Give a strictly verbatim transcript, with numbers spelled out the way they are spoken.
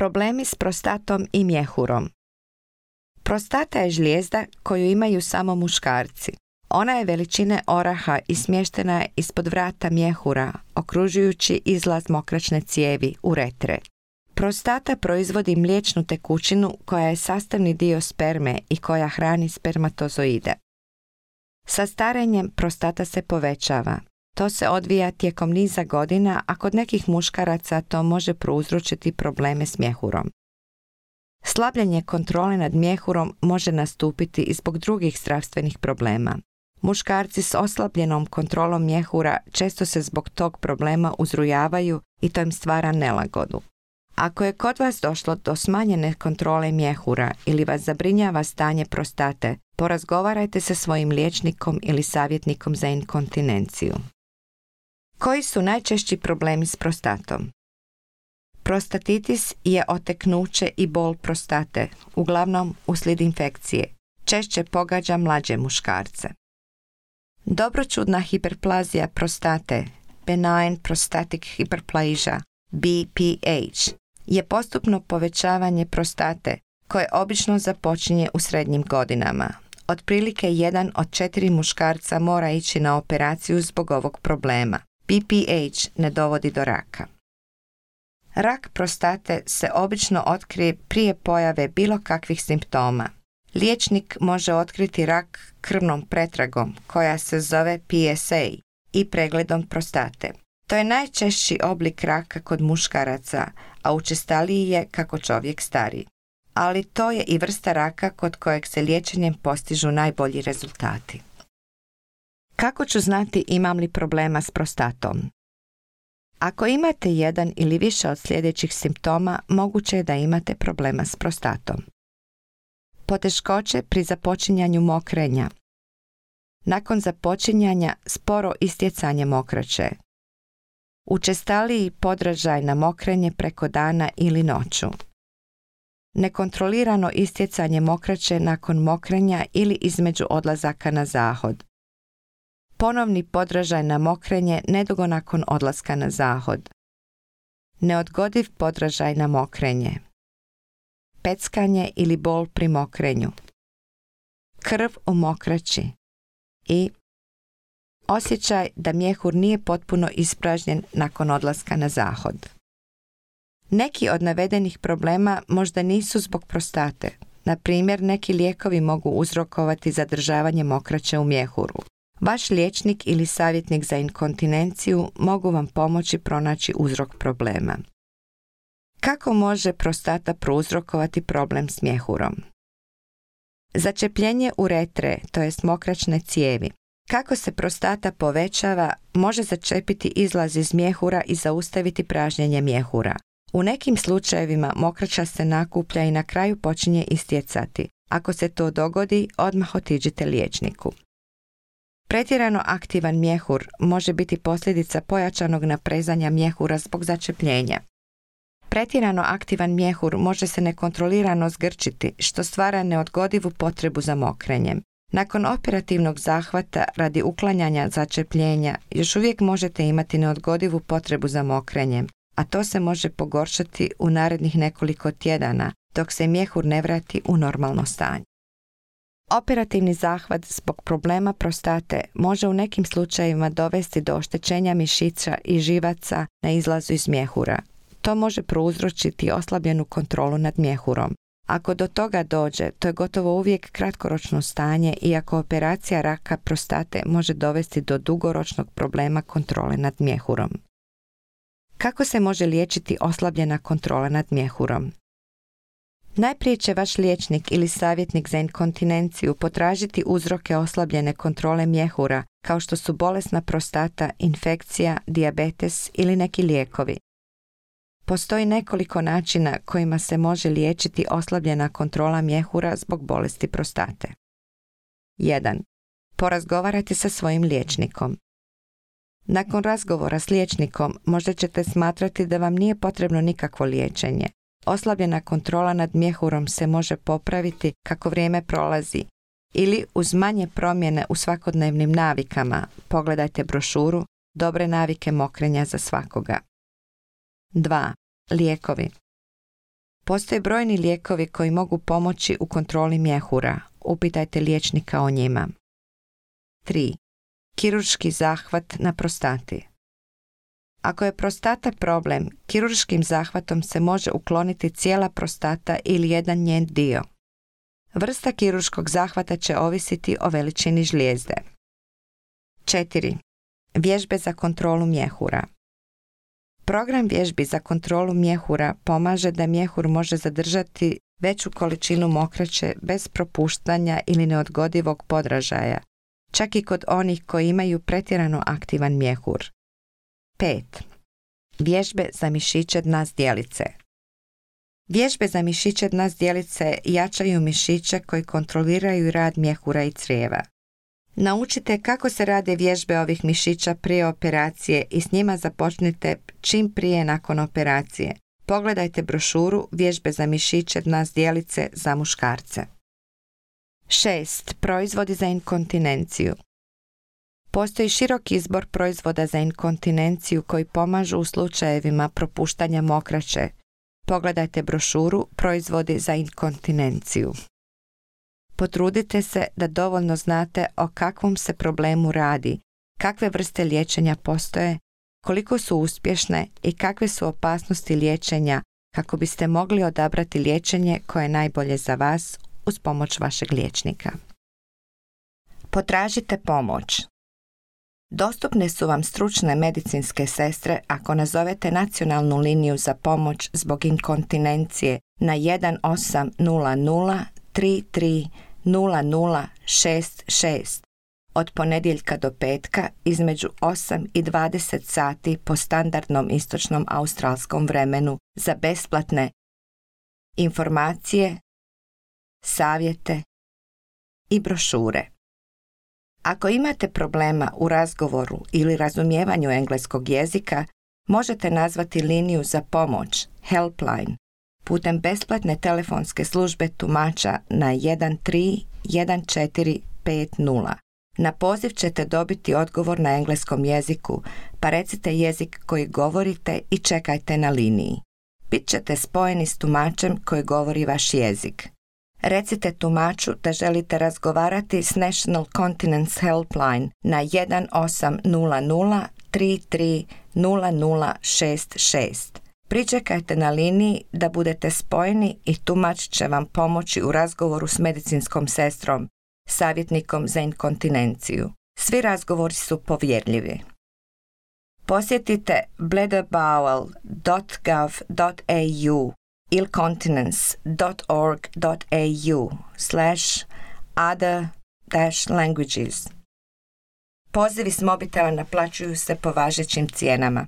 Problemi s prostatom i mjehurom. Prostata je žlijezda koju imaju samo muškarci. Ona je veličine oraha i smještena je ispod vrata mjehura, okružujući izlaz mokraćne cijevi, uretre. Prostata proizvodi mliječnu tekućinu koja je sastavni dio sperme i koja hrani spermatozoide. Sa starenjem prostata se povećava. To se odvija tijekom niza godina, a kod nekih muškaraca to može prouzročiti probleme s mjehurom. Slabljenje kontrole nad mjehurom može nastupiti i zbog drugih zdravstvenih problema. Muškarci s oslabljenom kontrolom mjehura često se zbog tog problema uzrujavaju i to im stvara nelagodu. Ako je kod vas došlo do smanjene kontrole mjehura ili vas zabrinjava stanje prostate, porazgovarajte sa svojim liječnikom ili savjetnikom za inkontinenciju. Koji su najčešći problemi s prostatom? Prostatitis je oteknuće i bol prostate, uglavnom uslijed infekcije. Češće pogađa mlađe muškarce. Dobroćudna hiperplazija prostate, benign prostatic hyperplasia, B P H, je postupno povećavanje prostate koje obično započinje u srednjim godinama. Otprilike jedan od četiri muškarca mora ići na operaciju zbog ovog problema. B P H ne dovodi do raka. Rak prostate se obično otkrije prije pojave bilo kakvih simptoma. Liječnik može otkriti rak krvnom pretragom koja se zove P S A i pregledom prostate. To je najčešći oblik raka kod muškaraca, a učestaliji je kako čovjek stari. Ali to je i vrsta raka kod kojeg se liječenjem postižu najbolji rezultati. Kako ću znati imam li problema s prostatom? Ako imate jedan ili više od sljedećih simptoma, moguće je da imate problema s prostatom. Poteškoće pri započinjanju mokrenja. Nakon započinjanja sporo istjecanje mokraće. Učestaliji podražaj na mokrenje preko dana ili noću. Nekontrolirano istjecanje mokraće nakon mokrenja ili između odlazaka na zahod. Ponovni podražaj na mokrenje nedugo nakon odlaska na zahod. Neodgodiv podražaj na mokrenje. Peckanje ili bol pri mokrenju. Krv u mokraći. I osjećaj da mjehur nije potpuno ispražnjen nakon odlaska na zahod. Neki od navedenih problema možda nisu zbog prostate. Na primjer, neki lijekovi mogu uzrokovati zadržavanje mokraće u mjehuru. Vaš liječnik ili savjetnik za inkontinenciju mogu vam pomoći pronaći uzrok problema. Kako može prostata prouzrokovati problem s mjehurom? Začepljenje uretre, to jest mokraćne cijevi. Kako se prostata povećava, može začepiti izlaz iz mjehura i zaustaviti pražnjenje mjehura. U nekim slučajevima mokraća se nakuplja i na kraju počinje istjecati. Ako se to dogodi, odmah otiđite liječniku. Pretjerano aktivan mjehur može biti posljedica pojačanog naprezanja mjehura zbog začepljenja. Pretjerano aktivan mjehur može se nekontrolirano zgrčiti, što stvara neodgodivu potrebu za mokrenjem. Nakon operativnog zahvata radi uklanjanja začepljenja, još uvijek možete imati neodgodivu potrebu za mokrenjem, a to se može pogoršati u narednih nekoliko tjedana, dok se mjehur ne vrati u normalno stanje. Operativni zahvat zbog problema prostate može u nekim slučajevima dovesti do oštećenja mišića i živaca na izlazu iz mjehura. To može prouzročiti oslabljenu kontrolu nad mjehurom. Ako do toga dođe, to je gotovo uvijek kratkoročno stanje, iako operacija raka prostate može dovesti do dugoročnog problema kontrole nad mjehurom. Kako se može liječiti oslabljena kontrola nad mjehurom? Najprije će vaš liječnik ili savjetnik za inkontinenciju potražiti uzroke oslabljene kontrole mjehura, kao što su bolesna prostata, infekcija, dijabetes ili neki lijekovi. Postoji nekoliko načina kojima se može liječiti oslabljena kontrola mjehura zbog bolesti prostate. jedan. Porazgovarajte sa svojim liječnikom. Nakon razgovora s liječnikom možda ćete smatrati da vam nije potrebno nikakvo liječenje. Oslabljena kontrola nad mjehurom se može popraviti kako vrijeme prolazi ili uz manje promjene u svakodnevnim navikama. Pogledajte brošuru Dobre navike mokrenja za svakoga. dva. Lijekovi. Postoje brojni lijekovi koji mogu pomoći u kontroli mjehura. Upitajte liječnika o njima. tri. Kirurški zahvat na prostati. Ako je prostata problem, kirurškim zahvatom se može ukloniti cijela prostata ili jedan njen dio. Vrsta kirurškog zahvata će ovisiti o veličini žlijezde. četiri. Vježbe za kontrolu mjehura. Program vježbi za kontrolu mjehura pomaže da mjehur može zadržati veću količinu mokraće bez propuštanja ili neodgodivog podražaja, čak i kod onih koji imaju pretjerano aktivan mjehur. pet. Vježbe za mišiće dna zdjelice. Vježbe za mišiće dna zdjelice jačaju mišiće koji kontroliraju rad mjehura i crijeva. Naučite kako se rade vježbe ovih mišića prije operacije i s njima započnite čim prije nakon operacije. Pogledajte brošuru Vježbe za mišiće dna zdjelice za muškarce. šest. Proizvodi za inkontinenciju. Postoji širok izbor proizvoda za inkontinenciju koji pomažu u slučajevima propuštanja mokraće. Pogledajte brošuru Proizvodi za inkontinenciju. Potrudite se da dovoljno znate o kakvom se problemu radi, kakve vrste liječenja postoje, koliko su uspješne i kakve su opasnosti liječenja kako biste mogli odabrati liječenje koje je najbolje za vas uz pomoć vašeg liječnika. Potražite pomoć. Dostupne su vam stručne medicinske sestre ako nazovete nacionalnu liniju za pomoć zbog inkontinencije na jedan osam nula nula tri tri nula nula šest šest od ponedjeljka do petka između osam i dvadeset sati po standardnom istočnom australskom vremenu za besplatne informacije, savjete i brošure. Ako imate problema u razgovoru ili razumijevanju engleskog jezika, možete nazvati liniju za pomoć Helpline putem besplatne telefonske službe tumača na jedan tri jedan četiri pet nula. Na poziv ćete dobiti odgovor na engleskom jeziku, pa recite jezik koji govorite i čekajte na liniji. Bit ćete spojeni s tumačem koji govori vaš jezik. Recite tumaču da želite razgovarati s National Continence Helpline na jedan osam nula nula tri tri nula nula šest šest. Pričekajte na liniji da budete spojeni i tumač će vam pomoći u razgovoru s medicinskom sestrom, savjetnikom za inkontinenciju. Svi razgovori su povjerljivi. Posjetite bladderbowel dot gov dot a u ili continence dot org dot a u slash other dash languages. Pozivi s mobitela naplaćuju se po važećim cijenama.